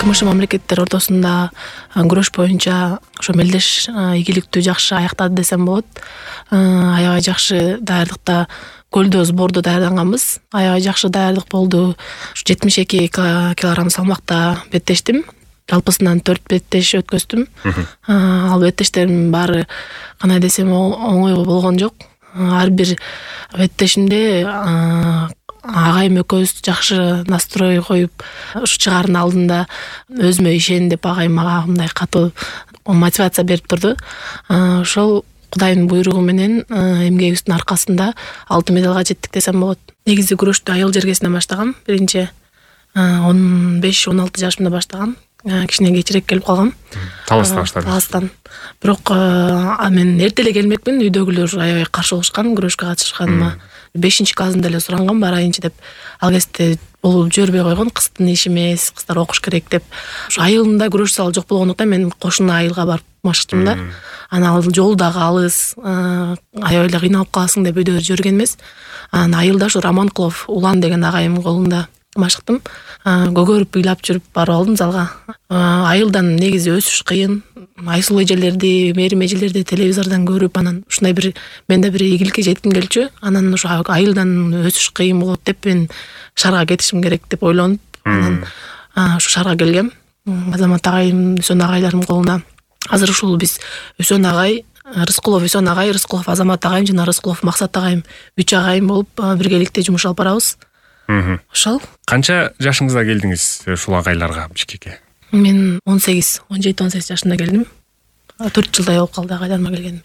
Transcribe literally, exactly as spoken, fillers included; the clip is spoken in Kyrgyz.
ыкмш мамлекеттер ортосунда күрөш боюнча ошо мелдеш ийгиликтүү жакшы аяктады десем болот. Аябай жакшы даярдыкта көлдө сбордо даярданганбыз. Аябай жакшы даярдык болду. жетимиш эки килограмм салмакта беттештим. Жалпысынан төрт беттеш өткөздүм. Ал беттештердин баары кандай десем оңой болгон жок. Ар бир беттешимде агайым экөөбүз жакшы настрой коюп, ушу чыгаардын алдында өзүмө ишен деп агайым мага мындай катуу мотивация берип турду. Ошол Кудайдын буйругу менен эмгегибиздин аркасында алтын медалга жеттик десем болот. Негизи күрөштү айыл жергесинен баштагам. Биринчи он беш он алты жашымда баштагам. Кичине кечирээк келип калгам. Таласта баштадым. Таластан. Бирок мен эрте эле келмекмин. Үйдөгүлөр аябай каршы болушкан күрөшкө катышканыма. бешинчи классында эле суранган барайынчы деп. Ал кезде болуп жибербей койгон, кыздын иши эмес, кыздар окуш керек деп. Ошо айылында күрөш залы жок болгондуктан мен кошуна айылга барып машыктым да. Анан ал жол дагы алыс, аябай эле кыйналып каласың деп үйдө жиберген эмес. Анан айылда ушу Романкулов Улан деген агайымдын колунда машыктым. Көгөрүп ыйлап жүрүп барып алдым залга. Айылдан негизи өсүш кыйын. Айсыл эжелерди, мээрим эжелерди телевизордон көрүп, анан ушундай бир менде бир ийгиликке жетким келчү. Анан ошо айылдан өсүш кыйын болот деп мен шаарга кетишим керек деп ойлонуп, анан ушу шаарга келгем. Азамат агайым, Үсөн агайларымдын колунда. Азыр ушул биз Үсөн агай, Рыскулов Үсөн агай, Рыскулов Азамат агайым жана Рыскулов Максат агайым үч агайым болуп биргеликте жумуш алып барабыз. Ошол. Канча жашыңызда келдиңиз ушул агайларга Бишкекке? Мен он сегиз, он жети он сегиз жашында келдим. төрт жылдай болуп калды агайларыма келгениме.